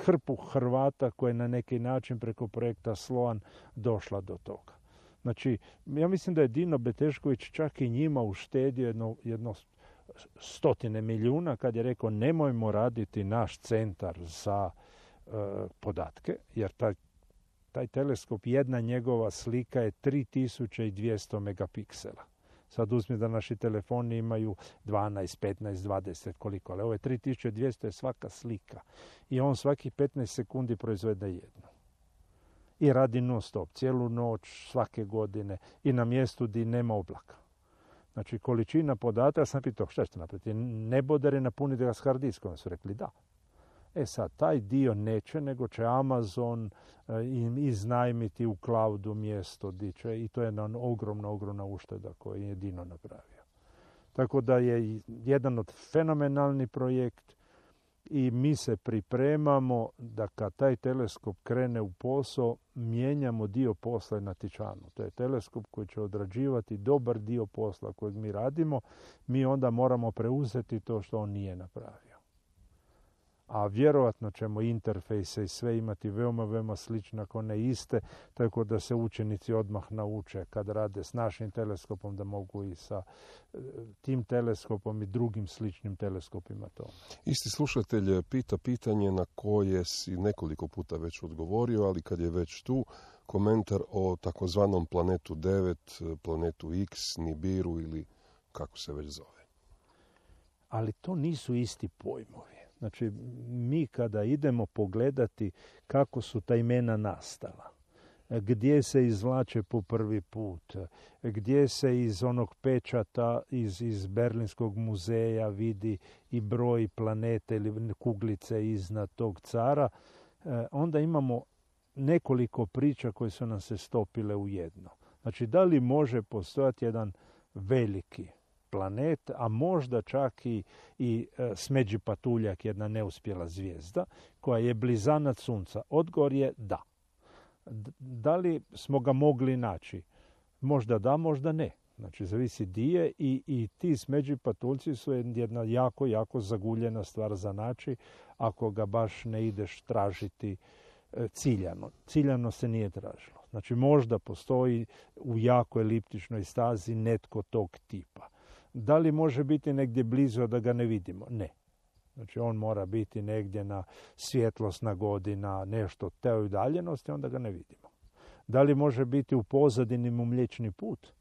hrpu Hrvata koja je na neki način preko projekta Sloan došla do toga. Znači, ja mislim da je Dino Betešković čak i njima uštedio jedno, jedno stotine milijuna kad je rekao nemojmo raditi naš centar za podatke, jer taj, taj teleskop, jedna njegova slika je tri tisuće dvjesto megapiksela. Sad uzmi da naši telefoni imaju dvanaest, petnaest, dvadeset, koliko, ali ovo je tri tisuće dvjesto je svaka slika. I on svakih petnaest sekundi proizvede jednu. I radi non stop, cijelu noć, svake godine i na mjestu gdje nema oblaka. Znači, količina podataka, ja sam pitao, šta ćete napraviti? Nebodere napuniti ga s hard diskom, su rekli da. E sad, taj dio neće, nego će Amazon e, im iznajmiti u cloudu mjesto di će, i to je jedna ogromna, ogromna ušteda koju je Dino napravio. Tako da je jedan od fenomenalni projekt i mi se pripremamo da kad taj teleskop krene u posao, mijenjamo dio posla na Tičanu. To je teleskop koji će odrađivati dobar dio posla kojeg mi radimo, mi onda moramo preuzeti to što on nije napravio. A vjerojatno ćemo interfejse i sve imati veoma, veoma slične, ako ne iste, tako da se učenici odmah nauče kad rade s našim teleskopom da mogu i sa tim teleskopom i drugim sličnim teleskopima to. Isti slušatelj pita pitanje na koje si nekoliko puta već odgovorio, ali kad je već tu, komentar o takozvanom planetu devet, planetu X, Nibiru ili kako se već zove. Ali to nisu isti pojmovi. Znači, mi kada idemo pogledati kako su ta imena nastala, gdje se izvlače po prvi put, gdje se iz onog pečata iz, iz Berlinskog muzeja vidi i broj planete ili kuglice iznad tog cara, onda imamo nekoliko priča koje su nam se stopile u jedno. Znači, da li može postojati jedan veliki planet, a možda čak i, i e, smeđi patuljak, jedna neuspjela zvijezda, koja je blizanac Sunca? Odgovor je da. D- da li smo ga mogli naći? Možda da, možda ne. Znači, zavisi di je i, i ti smeđi patuljci su jedna jako, jako zaguljena stvar za naći ako ga baš ne ideš tražiti e, ciljano. Ciljano se nije tražilo. Znači, možda postoji u jako eliptičnoj stazi netko tog tipa. Da li može biti negdje blizu da ga ne vidimo? Ne. Znači, on mora biti negdje na svjetlosna godina, nešto te udaljenosti, onda ga ne vidimo. Da li može biti u pozadini mu Mliječni put?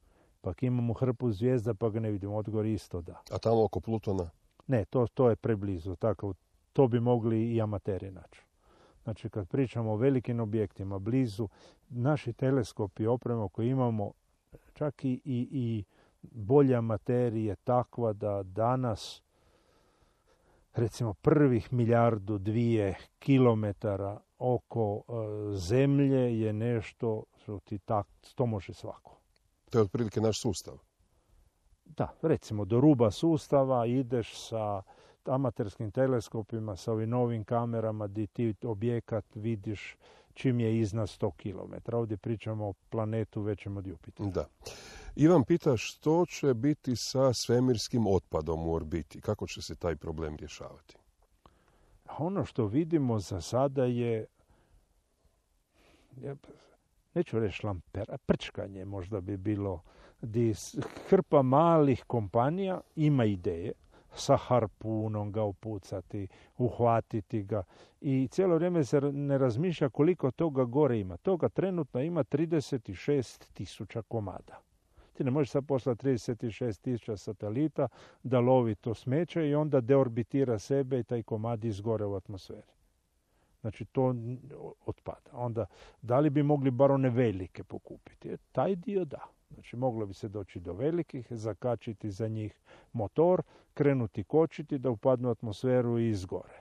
Pak imamo hrpu zvijezda pa ga ne vidimo. Odgovor isto da. A tamo oko Plutona? Ne, to, to je preblizu. Tako, to bi mogli i amateri naći. Znači, kad pričamo o velikim objektima blizu, naši teleskopi, oprema koju imamo, čak i, i, i bolja materija je takva da danas, recimo, prvih milijardu dvije kilometara oko uh, zemlje je nešto što ti tak, to može svako. To je otprilike naš sustav. Da, recimo do ruba sustava ideš sa amaterskim teleskopima, sa ovim novim kamerama gdje ti objekat vidiš čim je iznad sto kilometara. Ovdje pričamo o planetu većem od Jupitera. Da. Ivan pita što će biti sa svemirskim otpadom u orbiti? Kako će se taj problem rješavati? Ono što vidimo za sada je neću reći šlampera, prčkanje možda bi bilo, di hrpa malih kompanija ima ideje, sa harpunom ga upucati, uhvatiti ga i cijelo vrijeme se ne razmišlja koliko toga gore ima. Toga trenutno ima trideset šest tisuća komada. Ti ne možeš sad poslati trideset šest tisuća satelita da lovi to smeće i onda deorbitira sebe i taj komad izgore u atmosferi. Znači to otpada. Onda, da li bi mogli bar one velike pokupiti? E, taj dio da. Znači, moglo bi se doći do velikih, zakačiti za njih motor, krenuti kočiti da upadnu u atmosferu i izgore.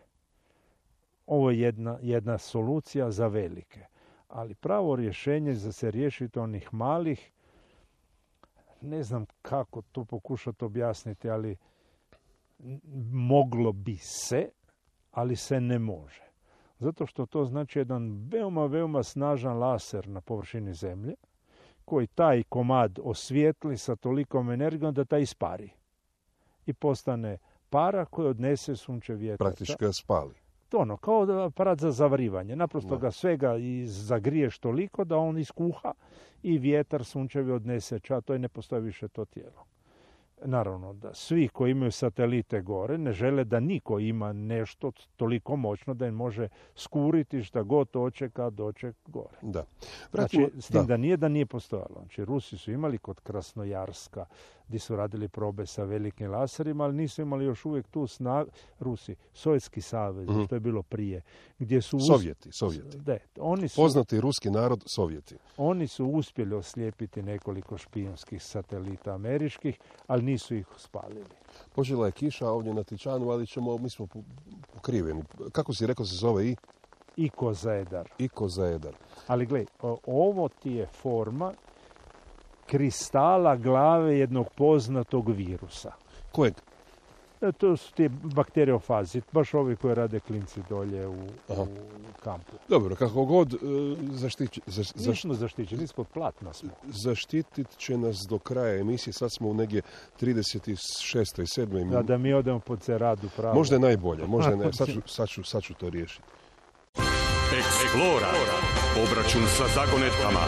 Ovo je jedna, jedna solucija za velike. Ali pravo rješenje za se riješiti onih malih, ne znam kako to pokušati objasniti, ali moglo bi se, ali se ne može. Zato što to znači jedan veoma, veoma snažan laser na površini Zemlje, koji taj komad osvijetli sa tolikom energijom da taj ispari. I postane para koja odnese sunčev vjetar. Praktički ga spali. To ono, kao aparat za zavrivanje. Naprosto Da. ga svega zagriješ toliko da on iskuha i vjetar sunčevi odnese ča, to i ne postoji više to tijelo. Naravno da svi koji imaju satelite gore ne žele da niko ima nešto toliko moćno da im može skuriti šta god hoće kad doće gore. Da. Znači, Vratimo- s tim da. da nije da nije postojalo. Znači, Rusi su imali kod Krasnojarska, gdje su radili probe sa velikim laserima, ali nisu imali još uvijek tu snagu. Rusi, Sovjetski savez, Mhm. što je bilo prije, gdje su... us- Sovjeti, Sovjeti. Da, oni su, Poznati ruski narod, Sovjeti. oni su uspjeli oslijepiti nekoliko špijunskih satelita američkih, ali nisu ih spalili. Počela je kiša ovdje na Tičanu, ali ćemo, mi smo po- pokriveni. Kako si rekao se zove i? I Kozaedar. Iko zajedar. Ali gledaj, o- ovo ti je forma kristala glave jednog poznatog virusa. Kojeg? E, to su ti bakteriofazi, baš ovi koji rade klinci dolje u, Aha. u kampu. Dobro, kako god e, zaštići, za, zaš- Nismo zaštićeni, ispod platna smo. zaštitit će nas do kraja emisije. Sad smo u negdje trideset šestoj sedmoj Da, da mi odemo po ceradu pravo. Možda je najbolje, možda je naj... sad, ću, sad, ću, sad ću to riješiti. Eksplora. Obračun sa zagonetkama.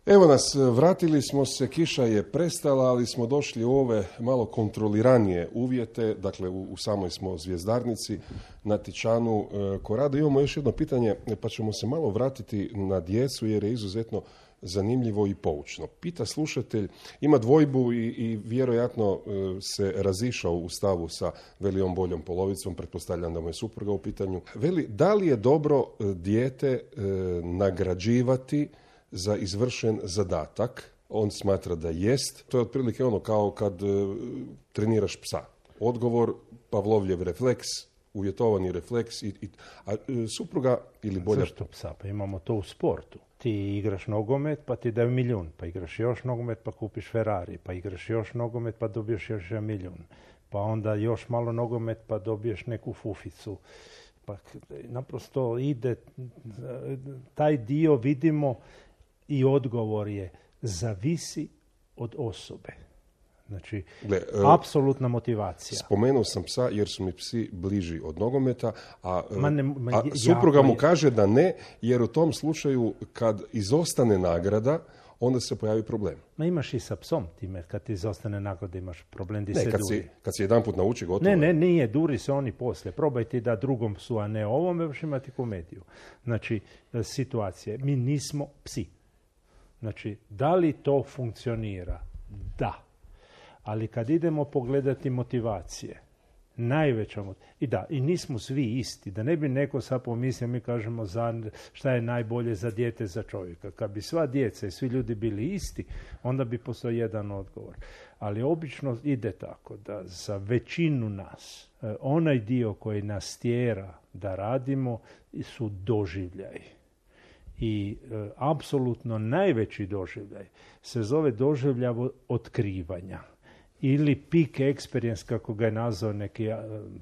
Evo nas, vratili smo se, kiša je prestala, ali smo došli u ove malo kontroliranije uvjete, dakle u, u samoj smo zvjezdarnici na Tičanu e, Korado. Imamo još jedno pitanje, pa ćemo se malo vratiti na djecu jer je izuzetno zanimljivo i poučno. Pita slušatelj, ima dvojbu i, i vjerojatno e, se razišao u stavu sa velijom boljom polovicom, pretpostavljam da mu je supruga u pitanju. Veli, da li je dobro e, dijete e, nagrađivati za izvršen zadatak? On smatra da jest. To je otprilike ono kao kad e, treniraš psa. Odgovor, Pavlovljev refleks, uvjetovani refleks. I, i, a e, supruga ili bolje... Zašto psa? Pa imamo to u sportu. Ti igraš nogomet pa ti daju milijun, pa igraš još nogomet pa kupiš Ferrari, pa igraš još nogomet pa dobiješ još jedan milijun, pa onda još malo nogomet pa dobiješ neku fuficu. Pa naprosto ide, taj dio vidimo i odgovor je zavisi od osobe. Znači, Gle, e, apsolutna motivacija. Spomenuo sam psa jer su mi psi bliži od nogometa, a, Ma ne- ma a jako supruga mu je. kaže da ne, jer u tom slučaju kad izostane nagrada, onda se pojavi problem. Ma imaš i sa psom time, kad ti izostane nagrada imaš problem di Ne, se kad duri. si, kad si jedan put nauči, gotovo. Ne, je. ne, nije, duri se oni poslije. Probaj ti da drugom psu, a ne ovome, još imati komediju. Znači, e, situacije. Mi nismo psi. Znači, da li to funkcionira? Da. Ali kad idemo pogledati motivacije, najveća mot- I da, i nismo svi isti. Da ne bi neko sad pomislio, mi kažemo za šta je najbolje za dijete, za čovjeka. Kad bi sva djeca i svi ljudi bili isti, onda bi postoji jedan odgovor. Ali obično ide tako da za većinu nas, e, onaj dio koji nas tjera da radimo su doživljaji. I e, apsolutno najveći doživljaj se zove doživljaj otkrivanja ili peak experience, kako ga je nazvao neki e,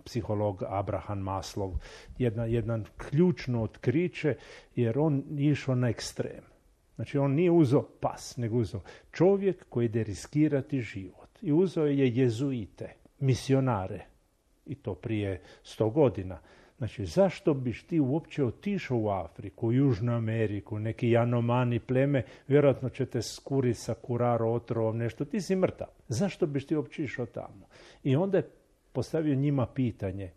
psiholog Abraham Maslow, jedna, jedan ključno otkriće, jer on išao na ekstrem. Znači on nije uzeo pas, nego uzeo čovjek koji ide riskirati život. I uzeo je jezuite, misionare, i to prije sto godina. Znači, zašto biš ti uopće otišao u Afriku, u Južnu Ameriku, neki Janomani pleme, vjerojatno će te skuriti sa kuraro otrovom, nešto, ti si mrtav. Zašto biš ti uopće išao tamo? I onda je postavio njima pitanje,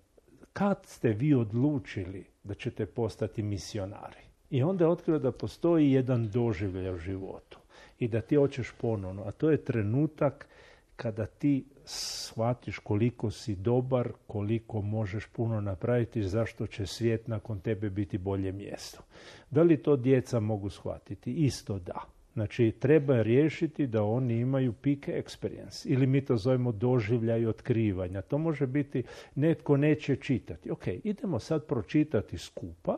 kad ste vi odlučili da ćete postati misionari? I onda je otkrio da postoji jedan doživljaj u životu i da ti hoćeš ponovno, a to je trenutak kada ti shvatiš koliko si dobar, koliko možeš puno napraviti, zašto će svijet nakon tebe biti bolje mjesto. Da li to djeca mogu shvatiti? Isto da. Znači, treba riješiti da oni imaju peak experience, ili mi to zovemo doživljaj otkrivanja. To može biti, netko neće čitati. Ok, idemo sad pročitati skupa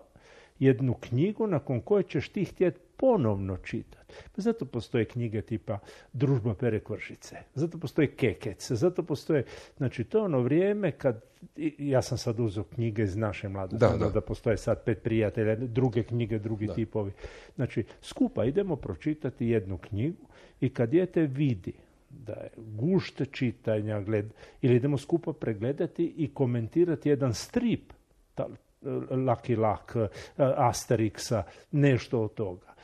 jednu knjigu nakon koje ćeš ti htjeti ponovno čitati. Zato postoje knjige tipa Družba Pere Kvržice, zato postoje Kekec, zato postoje, znači to je ono vrijeme kad, ja sam sad uzeo knjige iz naše mladosti, da, da. da postoje sad Pet prijatelja, druge knjige, drugi da. tipovi. Znači, skupa idemo pročitati jednu knjigu i kad dijete vidi da je gušt čitanja, gled, ili idemo skupa pregledati i komentirati jedan strip, ta, Lucky Luck, Asterixa, nešto od toga.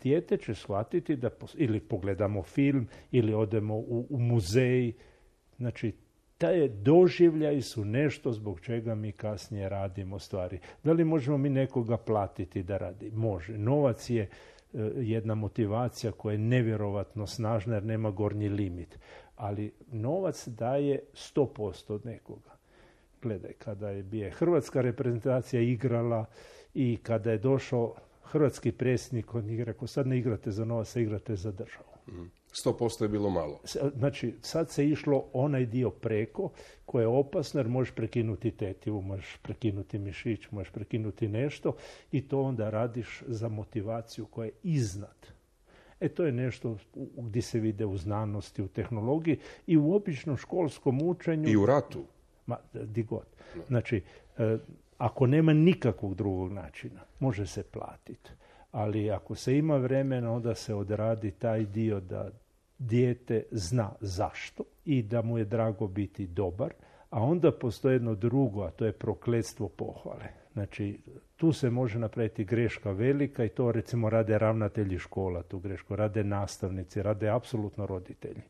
Dijete će shvatiti da, ili pogledamo film, ili odemo u, u muzej. Znači, taj doživljaj su nešto zbog čega mi kasnije radimo stvari. Da li možemo mi nekoga platiti da radi? Može. Novac je uh, jedna motivacija koja je nevjerovatno snažna jer nema gornji limit. Ali novac daje sto posto od nekoga. Gledaj, kada je bio hrvatska reprezentacija igrala i kada je došao hrvatski predsjednik, on je rekao, sad ne igrate za novac, igrate za državu. sto posto je bilo malo. Znači, sad se išlo onaj dio preko koje je opasno jer možeš prekinuti tetivu, možeš prekinuti mišić, možeš prekinuti nešto i to onda radiš za motivaciju koja je iznad. E to je nešto gdje se vide u znanosti, u tehnologiji i u običnom školskom učenju. I u ratu. Ma, di god. Znači, e, ako nema nikakvog drugog načina, može se platiti. Ali ako se ima vremena, onda se odradi taj dio da dijete zna zašto i da mu je drago biti dobar, a onda postoji jedno drugo, a to je prokletstvo pohvale. Znači, tu se može napraviti greška velika i to recimo rade ravnatelji škola, tu grešku rade nastavnici, rade apsolutno roditelji.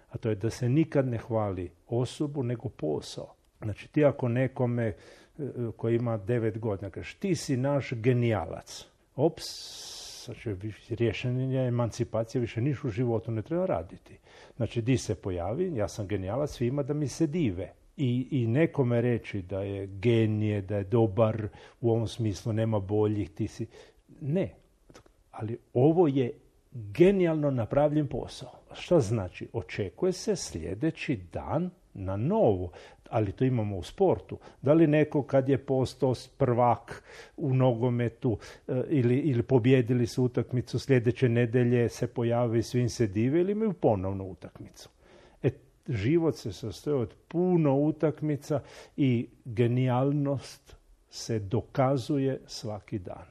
A to je da se nikad ne hvali osobu, nego posao. Znači, ti ako nekome koji ima devet godina kažeš, ti si naš genijalac. Ops, znači, rješenje emancipacije više niš u životu ne treba raditi. Znači, di se pojavi, ja sam genijalac, svima da mi se dive. I, i nekome reći da je genije, da je dobar, u ovom smislu nema boljih, ti si... Ne, ali ovo je genijalno napravljen posao. Šta znači? Očekuje se sljedeći dan na novo, ali to imamo u sportu. Da li neko kad je postao prvak u nogometu e, ili, ili pobjedili su utakmicu sljedeće nedelje se pojavi i svim se dive ili imaju ponovnu utakmicu. E, život se sastoji od puno utakmica i genijalnost se dokazuje svaki dan.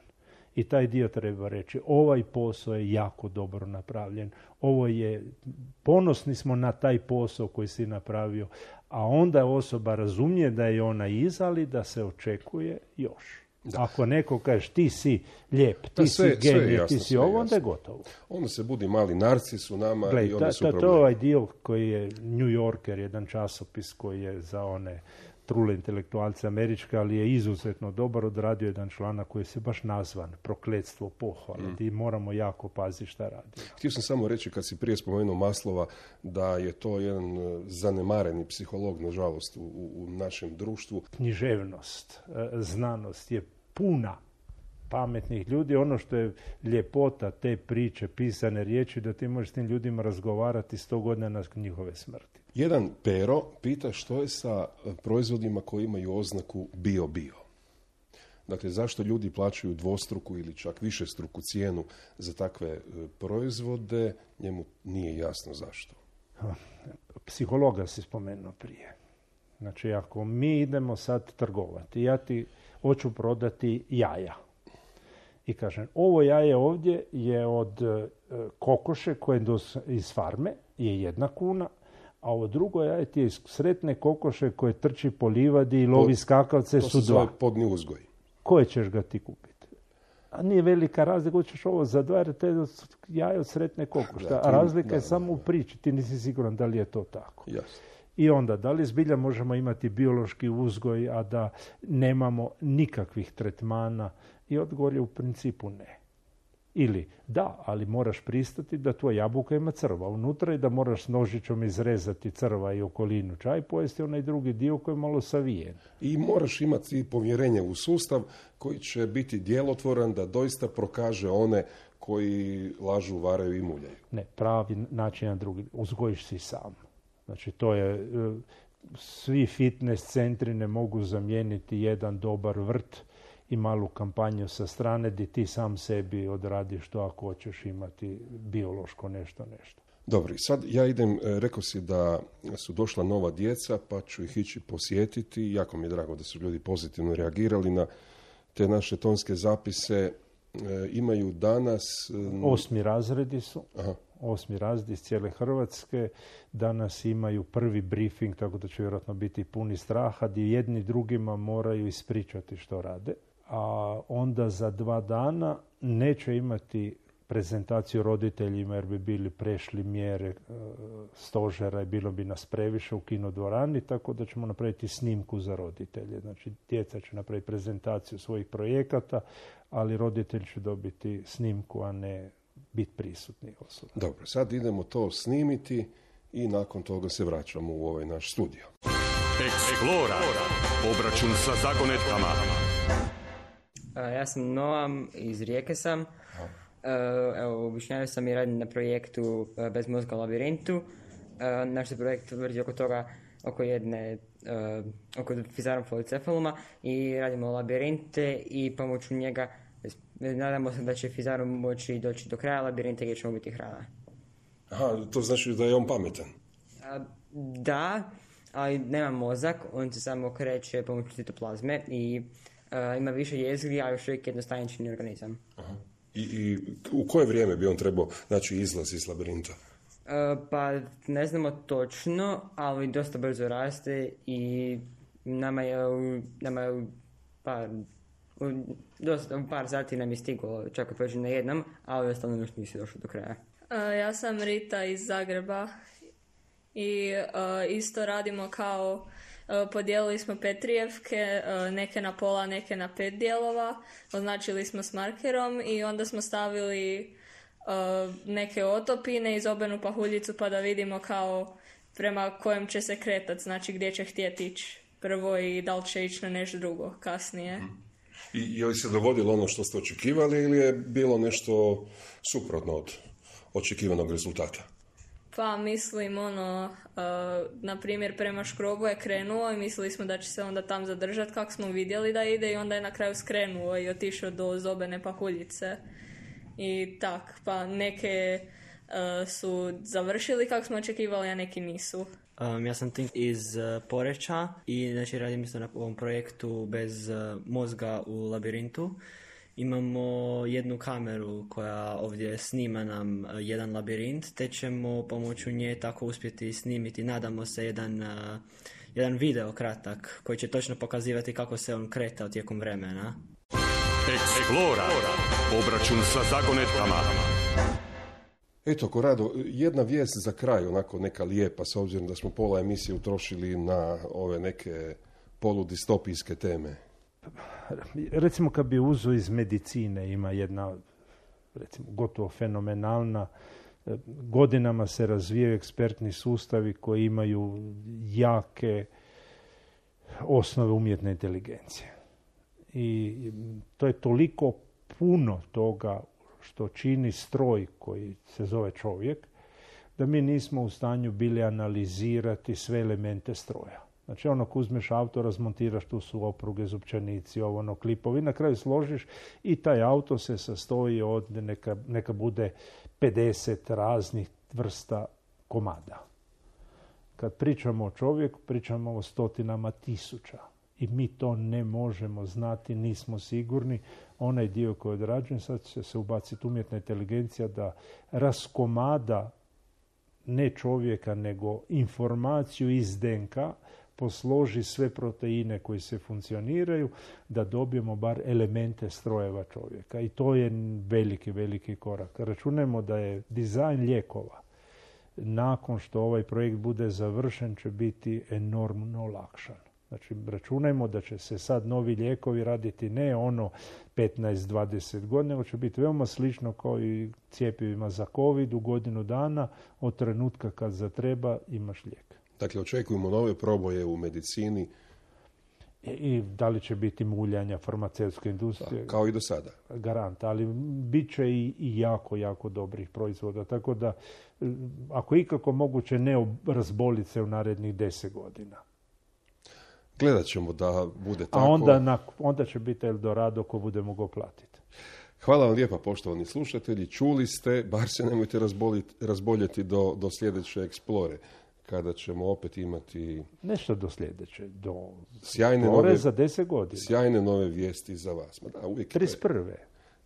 I taj dio treba reći, ovaj posao je jako dobro napravljen, ovo je, ponosni smo na taj posao koji si napravio, a onda osoba razumije da je ona iza, ali da se očekuje još. Da. Ako neko kaže ti si lijep, ti da, sve, si genij, jasno, ti si ovo, onda je gotovo. Onda se budi mali narcis u nama. Glej, i onda ta, su problemi. To je ovaj dio koji je New Yorker, jedan časopis koji je za one trule intelektualce američke, ali je izuzetno dobar, odradio jedan članak koji se baš nazvan Prokletstvo pohvale. Mm. I moramo jako paziti šta radi. Htio sam samo reći, kad si prije spomenuo Maslova, da je to jedan zanemareni psiholog, nažalost, u, u našem društvu. Književnost, znanost je puna pametnih ljudi. Ono što je ljepota te priče, pisane riječi, da ti možeš s tim ljudima razgovarati sto godina na njihove smrti. Jedan Pero pita što je sa proizvodima koji imaju oznaku bio-bio. Dakle, zašto ljudi plaćaju dvostruku ili čak višestruku cijenu za takve proizvode, njemu nije jasno zašto. Psihologa si spomenuo prije. Znači, ako mi idemo sad trgovati, ja ti hoću prodati jaja. I kažem, ovo jaje ovdje je od kokoše koje je iz farme, je jedna kuna, A ovo drugo jaje ti je sretne kokoše koje trči po livadi i lovi skakavce su dva. To se zove podni uzgoj. Koje ćeš ga ti kupiti? A nije velika razlika, hoćeš ovo za dva, jer te jaje od sretne kokoše. Da, A razlika da, je da, samo u priči, ti nisi siguran da li je to tako. Jasno. I onda, da li zbilja možemo imati biološki uzgoj, a da nemamo nikakvih tretmana? I odgovor je u principu ne. Ili da, ali moraš pristati da tvoja jabuka ima crva unutra i da moraš s nožićom izrezati crva i okolinu čaj, pojesti onaj drugi dio koji je malo savijen. I moraš imati povjerenje u sustav koji će biti djelotvoran da doista prokaže one koji lažu, varaju i muljaju. Ne, pravi način na drugi. Uzgojiš si sam. Znači, to je, svi fitness centri ne mogu zamijeniti jedan dobar vrt i malu kampanju sa strane gdje ti sam sebi odradiš to ako hoćeš imati biološko nešto, nešto. Dobro, sad ja idem, rekao si da su došla nova djeca, pa ću ih ići posjetiti. Jako mi je drago da su ljudi pozitivno reagirali na te naše tonske zapise. E, imaju danas... Osmi razredi su. Aha. Osmi razredi iz cijele Hrvatske. Danas imaju prvi briefing, tako da će vjerojatno biti puni straha, gdje jedni drugima moraju ispričati što rade. A onda za dva dana neće imati prezentaciju roditeljima jer bi bili prešli mjere e, stožera i bilo bi nas previše u kinodvorani, tako da ćemo napraviti snimku za roditelje. Znači, djeca će napraviti prezentaciju svojih projekata, ali roditelj će dobiti snimku, a ne biti prisutni osoba. Dobro, sad idemo to snimiti i nakon toga se vraćamo u ovaj naš studio. Explora. Obračun sa zagonetkama. Ja sam Noam, iz Rijeke sam. Evo, objašnjavao sam i radim na projektu Bez mozga u labirintu. Naš se projekt vrti oko toga, oko jedne, oko fizarom policefaluma i radimo labirinte i pomoću njega nadamo se da će fizarom moći doći do kraja labirinta gdje ćemo biti hrana. Aha, to znači da je on pametan? Da, ali nema mozak, on se samo kreće pomoću citoplazme i Uh, ima više jezgri, a još uvijek jednostavnični organizam. Aha. I, I u koje vrijeme bi on trebao naći izlaz iz labirinta? Uh, pa ne znamo točno, ali dosta brzo raste i nama je, nama je u par, u, dosta, u par sati nam je stiglo, čak i prođe na jednom, ali ostalo još nisi došlo do kraja. Uh, ja sam Rita iz Zagreba i uh, isto radimo kao podijelili smo Petrijevke, neke na pola, neke na pet dijelova, označili smo s markerom i onda smo stavili neke otopine i zobenu pahuljicu pa da vidimo kao prema kojem će se kretati, znači gdje će htjeti ići prvo i da li će ići na nešto drugo kasnije. I je li se dogodilo ono što ste očekivali ili je bilo nešto suprotno od očekivanog rezultata? Pa mislim ono, uh, na primjer prema škrobu je krenuo i mislili smo da će se onda tam zadržati kako smo vidjeli da ide i onda je na kraju skrenuo i otišao do zobene pahuljice. I tak, pa neke uh, su završili kako smo očekivali, a neki nisu. Um, ja sam Tink iz uh, Poreča i znači radim isto na ovom projektu Bez uh, mozga u labirintu. Imamo jednu kameru koja ovdje snima nam jedan labirint, te ćemo pomoću nje tako uspjeti snimiti, nadamo se, jedan, uh, jedan video kratak koji će točno pokazivati kako se on kretao tijekom vremena. Explora. Obračun sa zagonetkama. Eto, Korado, jedna vijest za kraj, onako neka lijepa, s obzirom da smo pola emisije utrošili na ove neke poludistopijske teme. Recimo kad bi uzeo iz medicine, ima jedna recimo gotovo fenomenalna, godinama se razvijaju ekspertni sustavi koji imaju jake osnove umjetne inteligencije. I to je toliko puno toga što čini stroj koji se zove čovjek, da mi nismo u stanju bili analizirati sve elemente stroja. Znači, ono, ko uzmeš auto, razmontiraš, tu su opruge, zupčanici, ovo, ono, klipovi, na kraju složiš i taj auto se sastoji od, neka, neka bude pedeset raznih vrsta komada. Kad pričamo o čovjeku, pričamo o stotinama tisuća. I mi to ne možemo znati, nismo sigurni. Onaj dio koji je odrađen, sad će se ubaciti umjetna inteligencija da raskomada ne čovjeka, nego informaciju iz D N K, posloži sve proteine koji se funkcioniraju, da dobijemo bar elemente strojeva čovjeka. I to je veliki, veliki korak. Računajmo da je dizajn lijekova, nakon što ovaj projekt bude završen, će biti enormno olakšan. Znači, računajmo da će se sad novi lijekovi raditi ne ono petnaest do dvadeset godina, nego će biti veoma slično kao i cjepivima za COVID u godinu dana, od trenutka kad zatreba imaš lijek. Dakle, očekujemo nove proboje u medicini. I, i da li će biti muljanja farmaceutske industrije? Da, kao i do sada. Garant, ali bit će i, i jako, jako dobrih proizvoda. Tako da, ako ikako moguće, ne razboliti se u narednih deset godina. Gledat ćemo da bude tako. A onda, na, onda će biti Eldorado ko bude mogao platiti. Hvala vam lijepa, poštovani slušatelji. Čuli ste, bar se nemojte razboljeti do, do sljedeće Explore, kada ćemo opet imati... Nešto do sljedeće, do sjajne Explore nove, za deset godina. Sjajne nove vijesti za vas. Ma da, uvijek trideset prve.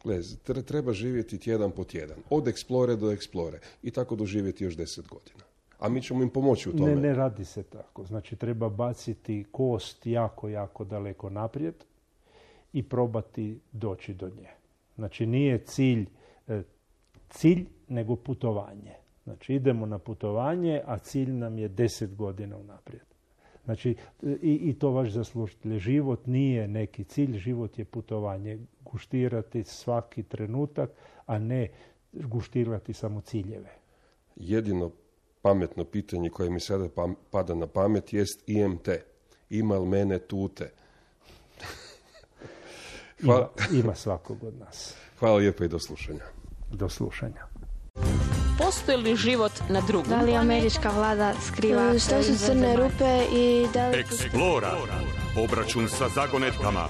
Glez, treba živjeti tjedan po tjedan. Od Explore do Explore. I tako doživjeti još deset godina. A mi ćemo im pomoći u tome. Ne, ne radi se tako. Znači, treba baciti kost jako, jako daleko naprijed i probati doći do nje. Znači, nije cilj, cilj nego putovanje. Znači, idemo na putovanje, a cilj nam je deset godina unaprijed. Znači, i, i to vaš zaslužitelj. Život nije neki cilj, život je putovanje. Guštirati svaki trenutak, a ne guštirati samo ciljeve. Jedino pametno pitanje koje mi sada pada na pamet jest I M T. Ima li mene tute? Hvala. Ima, ima svakog od nas. Hvala lijepo i do slušanja. Do slušanja. Postoji li život na drugom? Da li američka vlada skriva? Što su crne rupe i da li... Explora. Obračun sa zagonetkama.